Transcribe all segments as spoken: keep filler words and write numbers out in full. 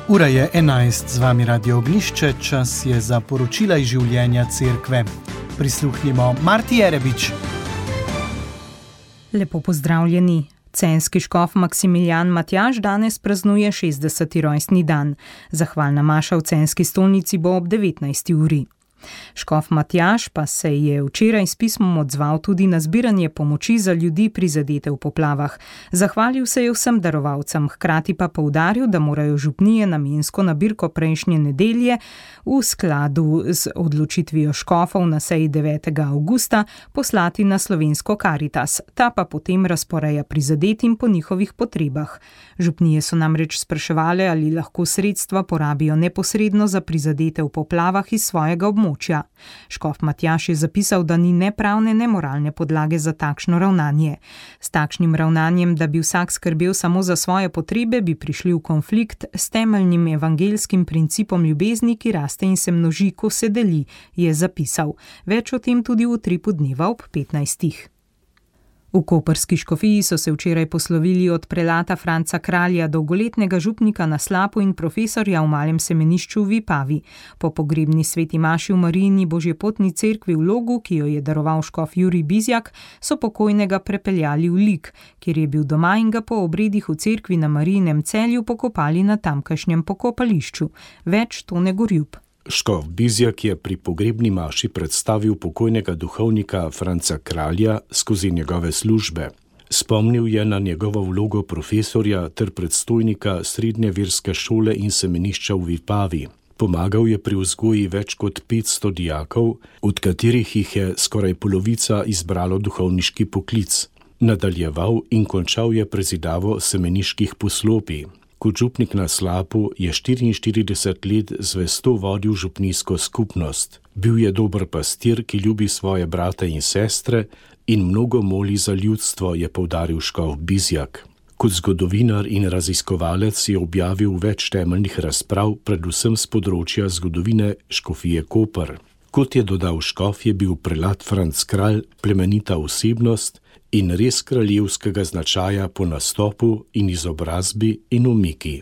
Ura je enajst, z vami Radio Oglišče, čas je za poročila iz življenja cerkve. Prisluhnimo Marti Jerebič. Lepo pozdravljeni. Censki škof Maksimilijan Matjaž danes praznuje šestdeseti rojstni dan. Zahvalna maša v Censki stolnici bo ob devetnajsti uri. Škof Matjaž pa se je včeraj s pismom odzval tudi na zbiranje pomoči za ljudi prizadete v poplavah. Zahvalil se je vsem darovalcem, hkrati pa poudaril, da morajo župnije namensko nabirko prejšnje nedelje v skladu z odločitvijo škofov na seji devetega avgusta poslati na slovensko Karitas, ta pa potem razporeja prizadetim po njihovih potrebah. Župnije so namreč spraševale, ali lahko sredstva porabijo neposredno za prizadete v poplavah iz svojega območja. Škof Matjaž je zapisal, da ni ne pravne, ne moralne podlage za takšno ravnanje. S takšnim ravnanjem, da bi vsak skrbel samo za svoje potrebe, bi prišli v konflikt s temeljnim evangelskim principom ljubezni, ki raste in se množi, ko se deli, je zapisal. Več o tem tudi v utripu dneva ob petnajstih. V koprski škofiji so se včeraj poslovili od prelata Franca Kralja, dolgoletnega župnika na Slapu in profesorja v Malem semenišču v Vipavi. Po pogrebni sveti maši v Marijini Božjepotni cerkvi v Logu, ki jo je daroval škof Jurij Bizjak, so pokojnega prepeljali v Lik, kjer je bil doma, in ga po obredih v cerkvi na Marijinem Celju pokopali na tamkajšnjem pokopališču. Več Tone Gorjup. Škof Bizjak je pri pogrebni maši predstavil pokojnega duhovnika Franca Kralja skozi njegove službe. Spomnil je na njegovo vlogo profesorja ter predstojnika srednje verske šole in semenišča v Vipavi. Pomagal je pri vzgoji več kot petsto dijakov, od katerih jih je skoraj polovica izbralo duhovniški poklic. Nadaljeval in končal je prezidavo semeniških poslopij. Kot župnik na Slapu je štiriinštirideset let zvesto vodil župnijsko skupnost. Bil je dober pastir, ki ljubi svoje brate in sestre in mnogo moli za ljudstvo, je poudaril škof Bizjak. Kot zgodovinar in raziskovalec je objavil več temeljnih razprav, predvsem z področja zgodovine škofije Koper. Kot je dodal škof, je bil prelat Franc Kralj plemenita osebnost in res kraljevskega značaja po nastopu in izobrazbi in umiki.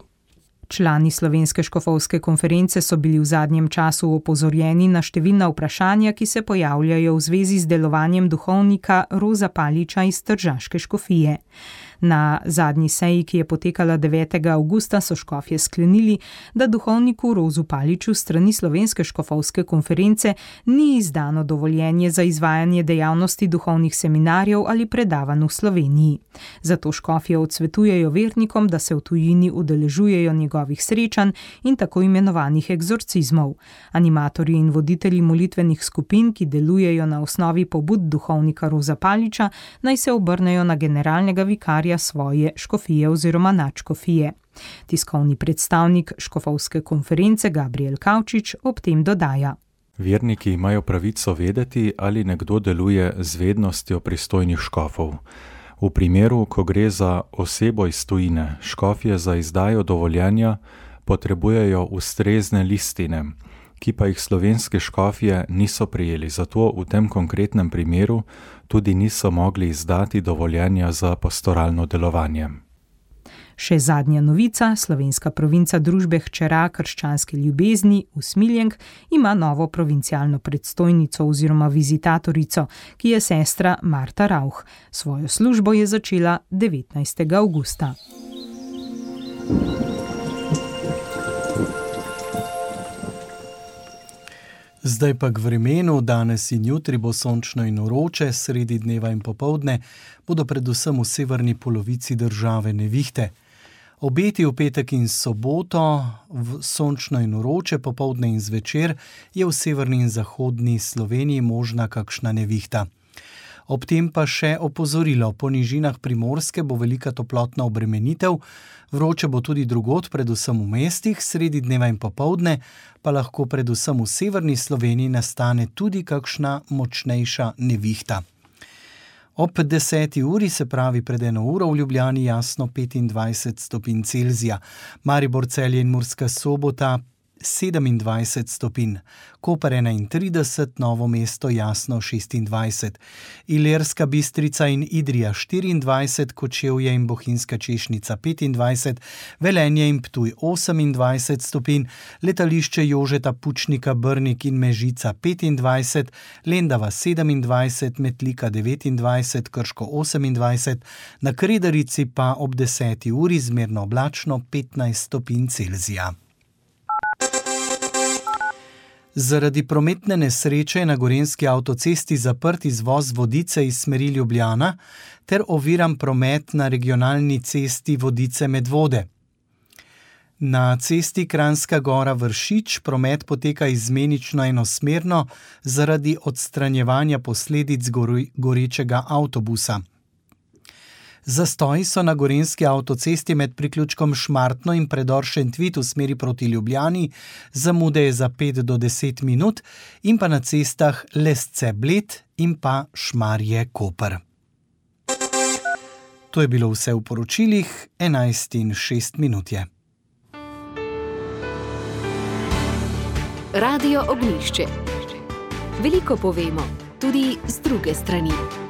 Člani Slovenske škofovske konference so bili v zadnjem času opozorjeni na številna vprašanja, ki se pojavljajo v zvezi z delovanjem duhovnika Roza Paliča iz Tržaške škofije. Na zadnji seji, ki je potekala devetega avgusta, so škofje sklenili, da duhovniku Rozu Paliču strani Slovenske škofovske konference ni izdano dovoljenje za izvajanje dejavnosti duhovnih seminarjev ali predavanj v Sloveniji. Zato škofje odsvetujejo vernikom, da se v tujini udeležujejo njegovih srečanj in tako imenovanih egzorcizmov. Animatorji in voditelji molitvenih skupin, ki delujejo na osnovi pobud duhovnika Roza Paliča, naj se obrnejo na generalnega vikarja svoje škofije oziroma nadškofije. Tiskovni predstavnik škofovske konference Gabriel Kavčič ob tem dodaja. Verniki imajo pravico vedeti, ali nekdo deluje z vednostjo pristojnih škofov. V primeru, ko gre za osebo iz tujine, škofje za izdajo dovoljenja potrebujejo ustrezne listine, ki pa jih slovenske škofje niso prijeli, zato v tem konkretnem primeru tudi niso mogli izdati dovoljenja za pastoralno delovanje. Še zadnja novica, slovenska provinca družbe hčera krščanske ljubezni Usmiljenk ima novo provincialno predstojnico oziroma vizitatorico, ki je sestra Marta Rauch. Svojo službo je začela devetnajstega avgusta. Zdaj pa k vremenu. Danes in jutri bo sončno in vroče, sredi dneva in popoldne bodo predvsem v severni polovici države nevihte. Obeti v petek in soboto v sončno in vroče, popoldne in zvečer je v severni in zahodni Sloveniji možna kakšna nevihta. Ob tem pa še opozorilo, po nižinah Primorske bo velika toplotna obremenitev, vroče bo tudi drugod, predvsem v mestih, sredi dneva in popoldne pa lahko predvsem v severni Sloveniji nastane tudi kakšna močnejša nevihta. Ob deseti uri, se pravi pred eno uro, v Ljubljani jasno petindvajset stopinj Celzija, Maribor, Celje in Murska Sobota sedemindvajset stopinj, Koper enaintrideset, Novo mesto jasno šestindvajset, Ilirska Bistrica in Idrija štiriindvajset, Kočevje in Bohinjska Češnica petindvajset, Velenje in Ptuj osemindvajset stopinj, Letališče Jožeta Pučnika Brnik in Mežica petindvajset, Lendava sedemindvajset, Metlika devetindvajset, Krško osemindvajset, na Kredarici pa ob deseti uri zmerno oblačno petnajst stopinj Celzija. Zaradi prometne nesreče je na gorenjski avtocesti zaprt izvoz Vodice iz smeri Ljubljana ter oviran promet na regionalni cesti Vodice-Medvode. Na cesti Kranjska Gora-Vršič promet poteka izmenično enosmerno zaradi odstranjevanja posledic gorečega avtobusa. Zastoji so na gorenjski avtocesti med priključkom Šmartno in predor Šentvit v smeri proti Ljubljani, zamude je za pet do deset minut, in pa na cestah Lesce-Bled in pa Šmarje-Koper. To je bilo vse v poročilih, enajst in šest minut je. Radio Ognjišče. Veliko povemo, tudi z druge strani.